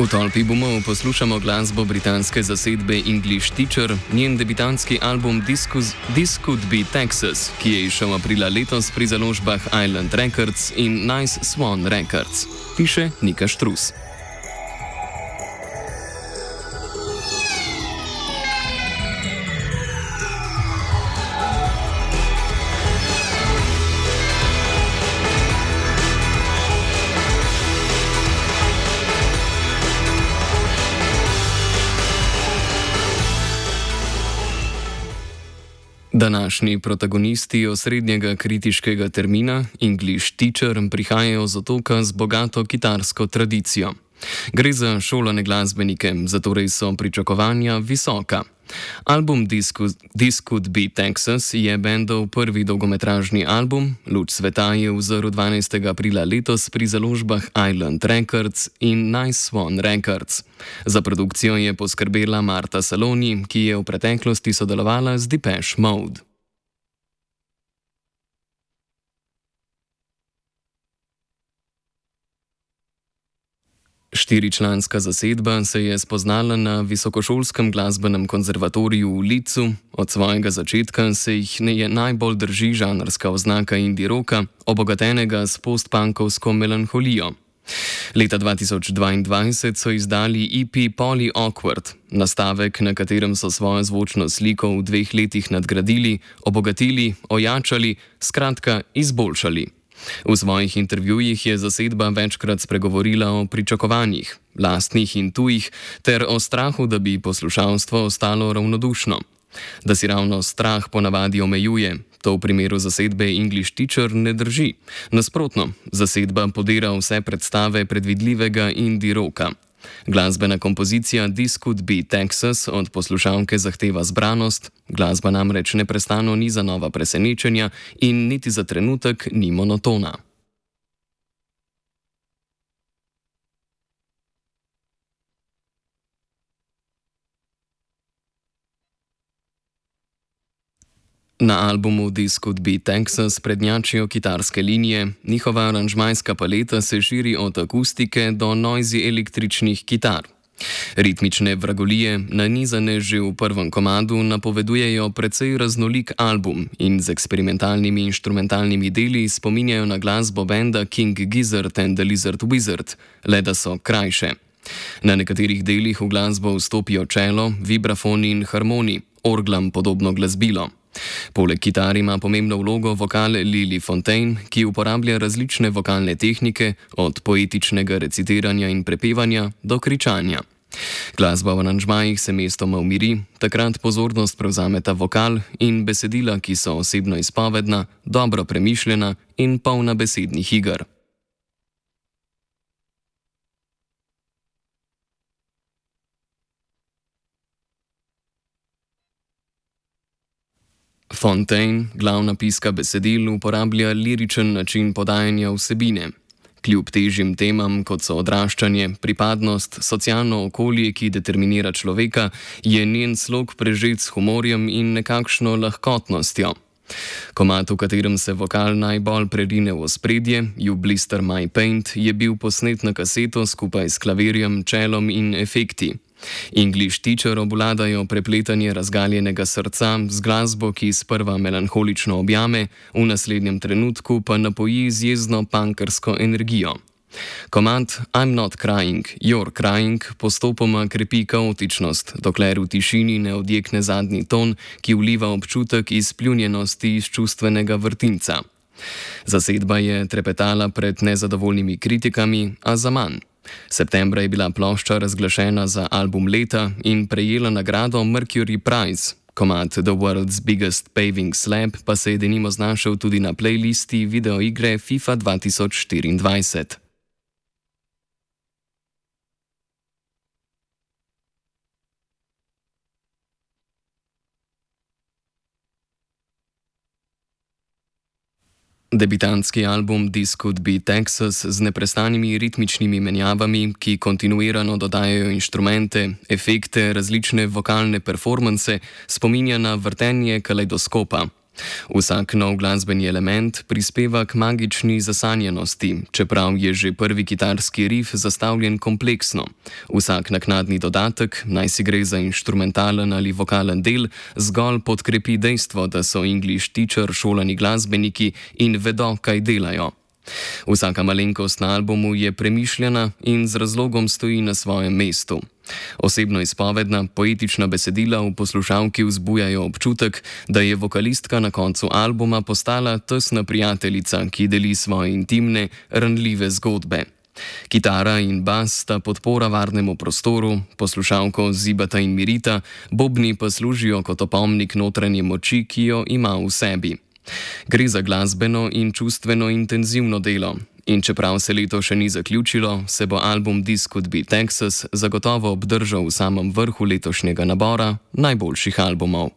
V tolpi bomo poslušamo glasbo britanske zasedbe English Teacher, njen debitantski album This Could Be Texas, ki je izšel aprila letos pri založbah Island Records in Nice Swan Records, piše Nika Štrus. Današnji protagonisti osrednjega kritiškega termina English Teacher prihajajo z otoka z bogato kitarsko tradicijo. Gre za šolane glasbenike, zatorej so pričakovanja visoka. Album This Could Be Texas je bendov prvi dolgometražni album, luč sveta je vzrl 12. aprila letos pri založbah Island Records in Nice Swan Records. Za produkcijo je poskrbela Marta Saloni, ki je v preteklosti sodelovala z Depeche Mode. Štiričlanska zasedba se je spoznala na Visokošolskem glasbenem konzervatoriju v Leedsu. Od svojega začetka se jih najbolj drži žanrska oznaka indie rocka, obogatenega s postpunkovsko melanholijo. Leta 2022 so izdali EP Polly Awkward, nastavek, na katerem so svojo zvočno sliko v 2 letih nadgradili, obogatili, ojačali, skratka izboljšali. V svojih intervjujih je zasedba večkrat spregovorila o pričakovanjih, lastnih in tujih, ter o strahu, da bi poslušalstvo ostalo ravnodušno. Da si ravno strah ponavadi omejuje, to v primeru zasedbe English Teacher ne drži. Nasprotno, zasedba podira vse predstave predvidljivega indie rocka. Glasbena kompozicija This Could Be Texas od poslušalke zahteva zbranost, glasba namreč neprestano niza nova presenečenja in niti za trenutek ni monotona. Na albumu This Could Be Texas prednjačijo kitarske linije, njihova aranžmajska paleta se širi od akustike do noisy električnih kitar. Ritmične vragolije, nanizane že v prvem komadu, napovedujejo precej raznolik album in z eksperimentalnimi inštrumentalnimi deli spominjajo na glasbo benda King Gizzard and the Lizard Wizard, le da so krajše. Na nekaterih delih v glasbo vstopijo čelo, vibrafoni in harmoni, orglam podobno glasbilo. Poleg kitar ima pomembno vlogo vokal Lily Fontaine, ki uporablja različne vokalne tehnike, od poetičnega recitiranja in prepevanja do kričanja. Glasba v aranžmajih se mestoma umiri, takrat pozornost prevzameta vokal in besedila, ki so osebno izpovedna, dobro premišljena in polna besednih iger. Fontaine, glavna piska besedil, uporablja liričen način podajanja vsebine. Kljub težjim temam, kot so odraščanje, pripadnost, socialno okolje, ki determinira človeka, je njen slog prežet s humorjem in nekakšno lahkotnostjo. Komad, v katerem se vokal najbolj prerine v ospredje, You Blister My Paint, je bil posnet na kaseto skupaj s klavirjem, čelom in efekti. English Teacher obvladajo prepletanje razgaljenega srca z glasbo, ki sprva melanholično objame, v naslednjem trenutku pa napoji z jezno punkersko energijo. Komad I'm Not Crying, You're Crying postopoma krepi kaotičnost, dokler v tišini ne odjekne zadnji ton, ki vliva občutek izpljunjenosti iz čustvenega vrtinca. Zasedba je trepetala pred nezadovoljnimi kritikami, a zaman. Septembra je bila plošča razglašena za album leta in prejela nagrado Mercury Prize. Komad The World's Biggest Paving Slab pa se je denimo znašel tudi na playlisti videoigre FIFA 2024. Debitantski album This Could Be Texas z neprestanimi ritmičnimi menjavami, ki kontinuirano dodajajo inštrumente, efekte, različne vokalne performanse, spominja na vrtenje kalejdoskopa. Vsak nov glasbeni element prispeva k magični zasanjenosti, čeprav je že prvi kitarski rif zastavljen kompleksno. Vsak naknadni dodatek, naj si gre za inštrumentalen ali vokalen del, zgolj podkrepi dejstvo, da so English teacher šolani glasbeniki in vedo, kaj delajo. Vsaka malenkost na albumu je premišljena in z razlogom stoji na svojem mestu. Osebno izpovedna, poetična besedila v poslušalki vzbujajo občutek, da je vokalistka na koncu albuma postala tesna prijateljica, ki deli svoje intimne, ranljive zgodbe. Kitara in bas sta podpora varnemu prostoru, poslušalko zibata in mirita, bobni pa služijo kot opomnik notranje moči, ki jo ima v sebi. Gre za glasbeno in čustveno intenzivno delo. In čeprav se leto še ni zaključilo, se bo album This Could Be Texas zagotovo obdržal v samem vrhu letošnjega nabora najboljših albumov.